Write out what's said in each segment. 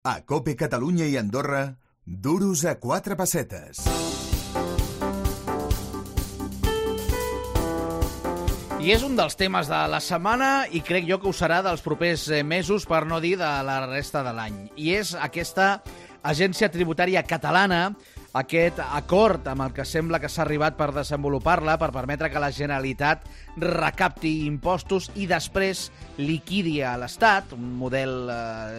A COPE Catalunya i Andorra, duros a 4 pessetes. I és un dels temes de la setmana i crec jo que ho serà dels propers mesos, per no dir de la resta de l'any. I és aquesta agència tributària catalana, aquest acord amb el que sembla que s'ha arribat per desenvolupar-la, per permetre que la Generalitat recapti impostos i després liquidi a l'Estat, un model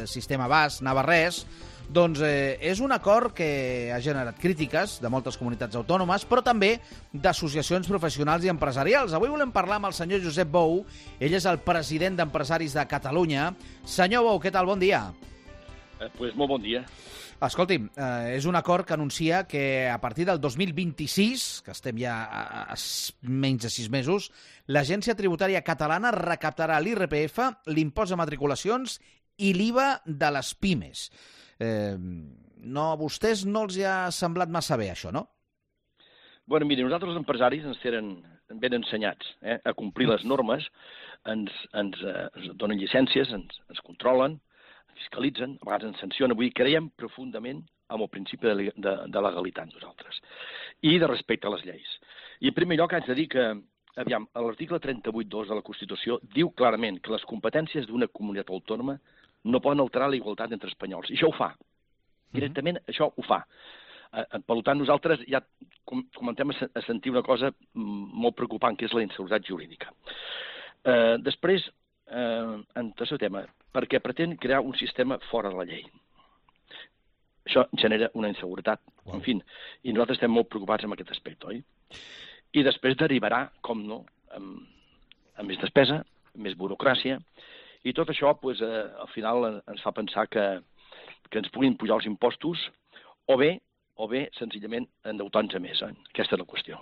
sistema basc, navarrès. Doncs és un acord que ha generat crítiques de moltes comunitats autònomes, però també d'associacions professionals i empresarials. Avui volem parlar amb el senyor Josep Bou. Ell és el president d'Empresaris de Catalunya. Senyor Bou, què tal? Bon dia. Pues molt bon dia. Escolti'm, és un acord que anuncia que a partir del 2026, que estem ja a menys de 6 mesos, l'Agència Tributària Catalana recaptarà l'IRPF, l'impost de matriculacions i l'IVA de les pimes. A vostès no els ha semblat massa bé, això, no? Bueno, miri, nosaltres els empresaris ens tenen ben ensenyats a complir les normes, ens donen llicències, ens controlen, fiscalitzen, a vegades ens sancionen. Vull dir, creiem profundament en el principi de legalitat nosaltres i de respecte a les lleis. I en primer lloc haig de dir que, aviam, l'article 38.2 de la Constitució diu clarament que les competències d'una comunitat autònoma no poden alterar la igualtat entre espanyols. I això ho fa. Directament això ho fa. Per tant, nosaltres ja comencem a sentir una cosa molt preocupant, que és la inseguretat jurídica. Després, en tercer tema, perquè pretén crear un sistema fora de la llei. Això genera una inseguretat. En fi, i nosaltres estem molt preocupats amb aquest aspecte, oi? I després derivarà, com no, amb més despesa, més burocràcia, i tot això, al final, ens fa pensar que ens puguin pujar els impostos o bé, senzillament, endeutar-nos més. Aquesta és la qüestió.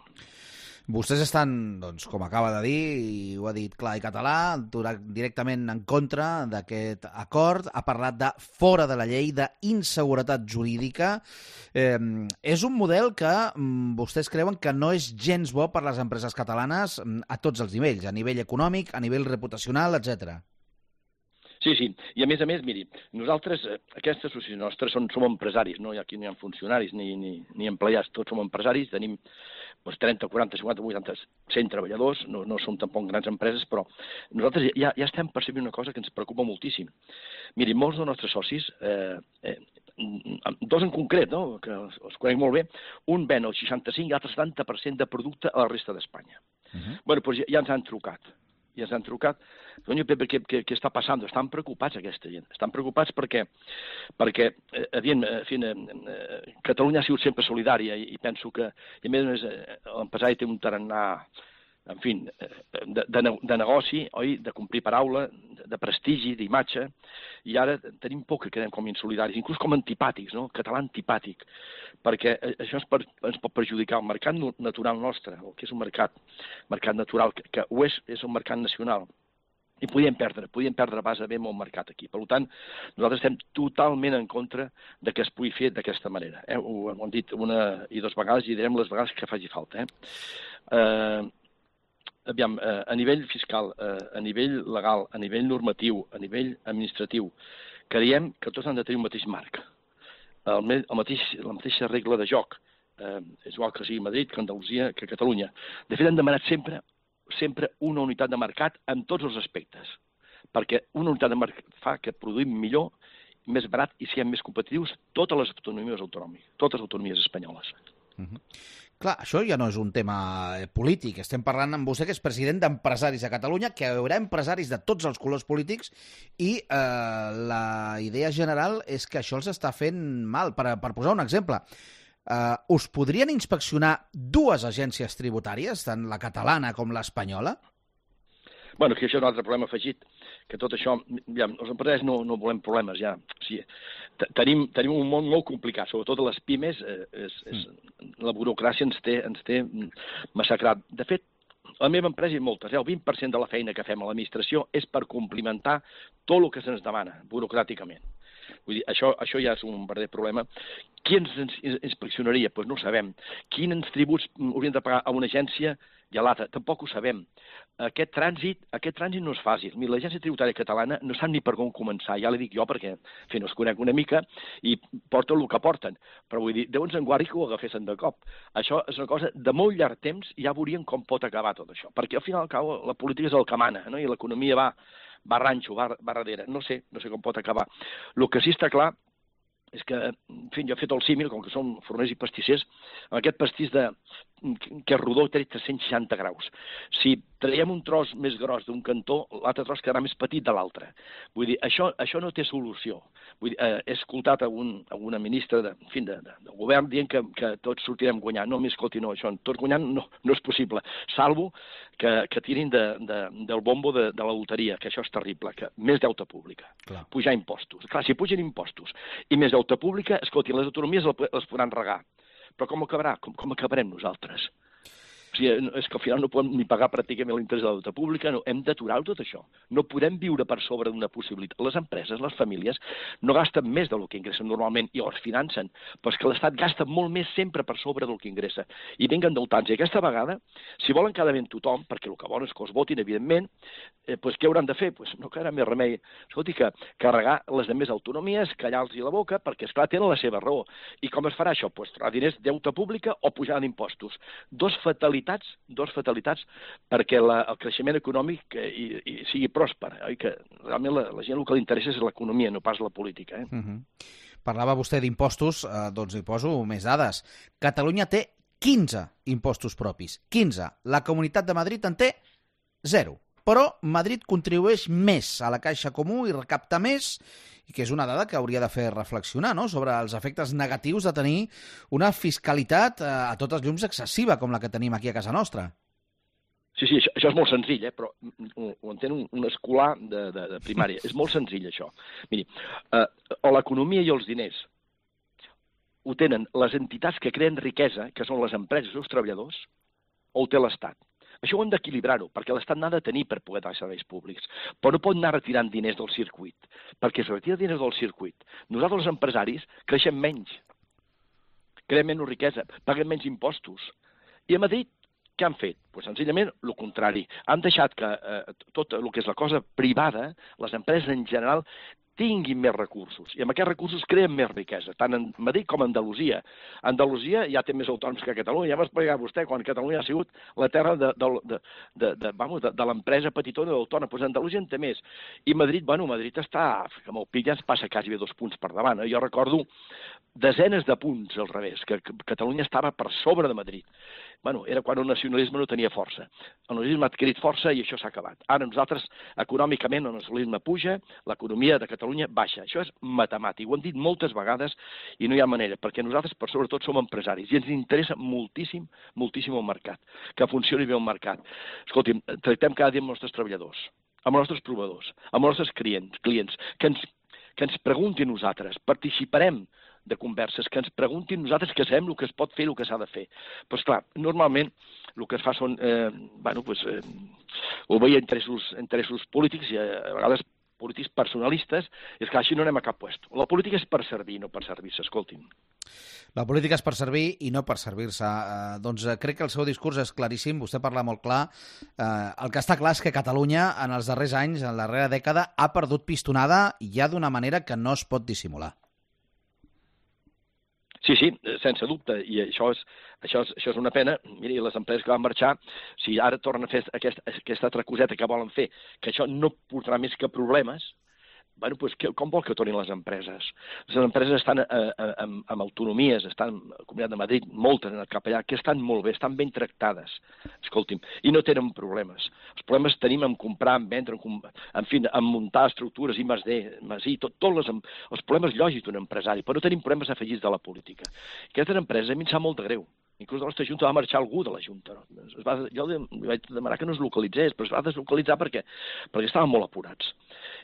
Vostès estan, doncs, com acaba de dir, i ho ha dit clar i català, directament en contra d'aquest acord. Ha parlat de fora de la llei, d'inseguretat jurídica. És un model que vostès creuen que no és gens bo per les empreses catalanes a tots els nivells, a nivell econòmic, a nivell reputacional, etc. Sí, i a més, miri, nosaltres, aquesta associació nostra, som empresaris, no? Aquí no hi ha funcionaris ni empleats, tots som empresaris, tenim 30, 40, 50, 80, 100 treballadors, no som tampoc grans empreses, però nosaltres ja estem percebint una cosa que ens preocupa moltíssim. Miri, molts dels nostres socis, dos en concret, no? Que els conec molt bé, un ven el 65 i l'altre 70% de producte a la resta d'Espanya. Bueno, doncs ja ens han trucat. Senyor Pepe, què està passant? Estan preocupats aquesta gent. Estan preocupats perquè Catalunya ha sigut sempre solidària i penso que, a més, l'empresari té un tarannà, en fi, de negoci, oi? De complir paraula, de prestigi, d'imatge, i ara tenim por que quedem com insolidaris, inclús com antipàtics, no? Català antipàtic, perquè això ens pot perjudicar el mercat natural nostre, el que és un mercat natural, que ho és un mercat nacional. I podíem perdre base molt mercat aquí. Per tant, nosaltres estem totalment en contra de que es pugui fer d'aquesta manera. Ho hem dit una i dues vegades i direm les vegades que faci falta. Aviam, a nivell fiscal, a nivell legal, a nivell normatiu, a nivell administratiu, creiem que tots han de tenir un mateix marc, la mateixa regla de joc. És igual que sigui Madrid, que Andalusia, que Catalunya. De fet, hem demanat sempre una unitat de mercat en tots els aspectes, perquè una unitat de mercat fa que produïm millor, més barat i siguem més competitius totes les autonomies autonòmiques, totes les autonomies espanyoles. Clar, això ja no és un tema polític. Estem parlant amb vostè, que és president d'Empresaris de Catalunya, que hi haurà empresaris de tots els colors polítics i la idea general és que això els està fent mal. Per posar un exemple, us podrien inspeccionar dues agències tributàries, tant la catalana com l'espanyola? Bueno, que això és un altre problema afegit, que tot això, ja, els empresaris no volem problemes, ja. O sigui, tenim un món molt complicat, sobretot a les pimes, la burocràcia ens té massacrat. De fet, la meva empresa i moltes, el 20% de la feina que fem a l'administració és per complimentar tot el que se'ns demana, burocràticament. Vull dir, això ja és un verdader problema Qui ens inspeccionaria? Doncs no ho sabem. Quins tributs haurien de pagar a una agència i a l'altra? Tampoc ho sabem. Aquest trànsit no és fàcil. Mira, l'Agència Tributària Catalana no sap ni per on començar, ja li dic jo perquè, en fi, no es conec una mica i porten el que porten. Però vull dir, Déu ens en guardi que ho agafessin de cop. Això és una cosa de molt llarg temps i ja veurien com pot acabar tot això. Perquè al final al cabo la política és el que mana, no? I l'economia va ranxo, va darrere. No sé com pot acabar. El que sí està clar és que, en fi, jo he fet el símil, com que som forners i pastissers, amb aquest pastís que és rodó té 360 graus. Si traiem un tros més gros d'un cantó, l'altre tros quedarà més petit de l'altre. Vull dir, això no té solució. Vull dir, he escoltat alguna ministra del govern dient que tots sortirem guanyant. No, escolti, no, això, tots guanyant no és possible, salvo que tirin del bombo de la loteria, que això és terrible, que més deute pública, pujar impostos. Clar, si pugen impostos i més deute pública, escolti, les autonomies les podran regar. Però com acabarà? Com acabarem nosaltres? O sigui, és que al final no podem ni pagar pràcticament l'interès de la deute pública, no, hem d'aturar-ho tot això. No podem viure per sobre d'una possibilitat. Les empreses, les famílies, no gasten més del que ingressen normalment i els financen, però és que l'Estat gasta molt més sempre per sobre del que ingressa. I vinga endeutats. I aquesta vegada, si volen quedar bé tothom, perquè el que volen és que els votin, evidentment, doncs què hauran de fer? Doncs no quedarà més remei. Escolti, que carregar les demés autonomies, callar-los la boca, perquè, esclar, tenen la seva raó. I com es farà això? Doncs treure diners deute pública o pujar d'impostos. Dos fatalitats perquè el creixement econòmic sigui pròsper, i que realment la gent el que li interessa és l'economia, no pas la política. Parlava vostè d'impostos, doncs hi poso més dades. Catalunya té 15 impostos propis, 15. La Comunitat de Madrid en té 0. Però Madrid contribueix més a la caixa comú i recapta més, i que és una dada que hauria de fer reflexionar, no?, sobre els efectes negatius de tenir una fiscalitat a totes llums excessiva com la que tenim aquí a casa nostra. Sí, això és molt senzill, però ho entén un escolar de primària. És molt senzill, això. Miri, o l'economia i els diners ho tenen les entitats que creen riquesa, que són les empreses i els treballadors, o ho té l'Estat. Això ho hem d'equilibrar-ho, perquè l'Estat n'ha de tenir per poder dar serveis públics, però no pot anar retirant diners del circuit, perquè si retira diners del circuit, nosaltres els empresaris creixem menys, creem menys riquesa, paguem menys impostos. I a Madrid què han fet? Doncs senzillament el contrari. Han deixat que tot el que és la cosa privada, les empreses en general, tinguin més recursos, i amb aquests recursos creen més riquesa, tant en Madrid com a Andalusia. Andalusia ja té més autònoms que Catalunya, ja m'ha explicat vostè, quan Catalunya ha sigut la terra de l'empresa petitona d'autònom, doncs Andalusia en té més. I Madrid està, amb el PIB ja ens passa quasi 2 punts per davant. Jo recordo desenes de punts al revés, que Catalunya estava per sobre de Madrid. Era quan el nacionalisme no tenia força. El nacionalisme ha adquirit força i això s'ha acabat. Ara nosaltres, econòmicament, el nacionalisme puja, l'economia de Catalunya baixa. Això és matemàtic. Ho hem dit moltes vegades i no hi ha manera, perquè nosaltres, per sobretot, som empresaris i ens interessa moltíssim el mercat, que funcioni bé el mercat. Escolti'm, tractem cada dia amb els nostres treballadors, amb els nostres proveïdors, amb els nostres clients, que ens preguntin nosaltres, participarem de converses, que ens preguntin nosaltres, que sabem el que es pot fer i el que s'ha de fer. Però, esclar, normalment el que es fa són, obeir interessos polítics i a vegades polítics personalistes, és que així no anem a cap lloc. La política és per servir, no per servir-se, escolti'm. La política és per servir i no per servir-se. Doncs crec que el seu discurs és claríssim, vostè parla molt clar. El que està clar és que Catalunya en els darrers anys, en la darrera dècada, ha perdut pistonada ja d'una manera que no es pot dissimular. Sí, sense dubte, i això és una pena. Miri, les empreses que van marxar, si ara tornen a fer aquesta altra coseta que volen fer, que això no portarà més que problemes, doncs com vol que tornin les empreses? Les empreses estan amb autonomies, estan a la Comunitat de Madrid, moltes han anat cap allà, que estan molt bé, estan ben tractades, escolti'm, i no tenen problemes. Els problemes tenim en comprar, en vendre, en muntar estructures, I+D, tots els problemes lògics d'un empresari, però no tenim problemes afegits de la política. Aquestes empreses a mi em sap molt de greu. Inclús de la nostra Junta va marxar algú de la Junta. Jo li vaig demanar que no es localitzés, però es va deslocalitzar perquè estaven molt apurats.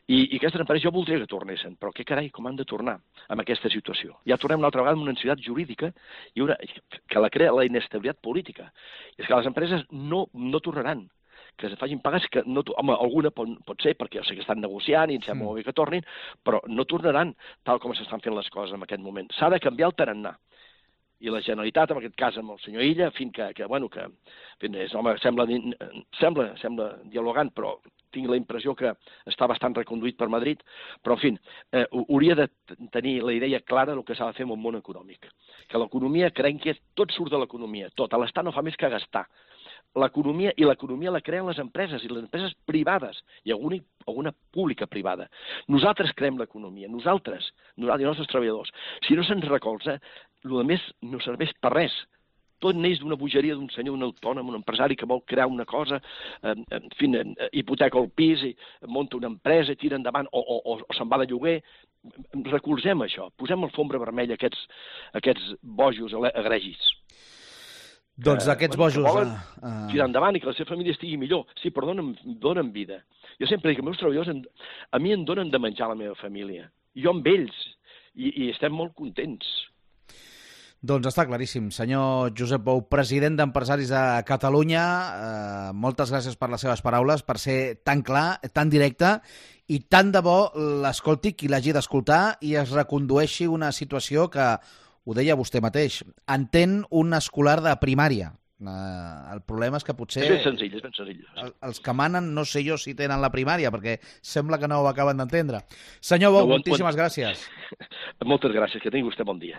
I aquestes empreses jo voldria que tornessin, però què carai, com han de tornar amb aquesta situació? Ja tornem una altra vegada amb una necessitat jurídica que la crea la inestabilitat política. I és que les empreses no tornaran. que es facin pagar, que no, home, alguna pot ser, perquè jo sé que estan negociant i em sembla molt bé que tornin, però no tornaran tal com s'estan fent les coses en aquest moment. S'ha de canviar el tarannà. I la Generalitat, en aquest cas amb el senyor Illa, sembla dialogant, però tinc la impressió que està bastant reconduït per Madrid, però, en fi, hauria de tenir la idea clara del que s'ha de fer amb el món econòmic. Que l'economia, creiem que tot surt de l'economia, tot. L'Estat no fa més que gastar. L'economia la creen les empreses, i les empreses privades, i alguna pública privada. Nosaltres creem l'economia, nosaltres i els nostres treballadors. Si no se'ns recolza, el més no serveix per res. Tot neix d'una bogeria d'un senyor, un autònom, un empresari que vol crear una cosa, en fi, hipoteca el pis, i munta una empresa, tira endavant, o se'n va de lloguer. Recolzem això, posem alfombra vermella a aquests bojos egregis. Doncs aquests bojos... Que volen tirar endavant i que la seva família estigui millor. Sí, però donen vida. Jo sempre dic que els meus treballadors a mi em donen de menjar la meva família. Jo amb ells. I estem molt contents. Doncs està claríssim. Senyor Josep Bou, president d'Empresaris de Catalunya, moltes gràcies per les seves paraules, per ser tan clar, tan directe, i tant de bo l'escolti qui l'hagi d'escoltar i es recondueixi una situació que, ho deia vostè mateix, entén un escolar de primària. El problema és que potser... És ben senzill. Els que manen, no sé jo si tenen la primària, perquè sembla que no ho acaben d'entendre. Senyor Bou, moltíssimes gràcies. Moltes gràcies, que tingui vostè bon dia.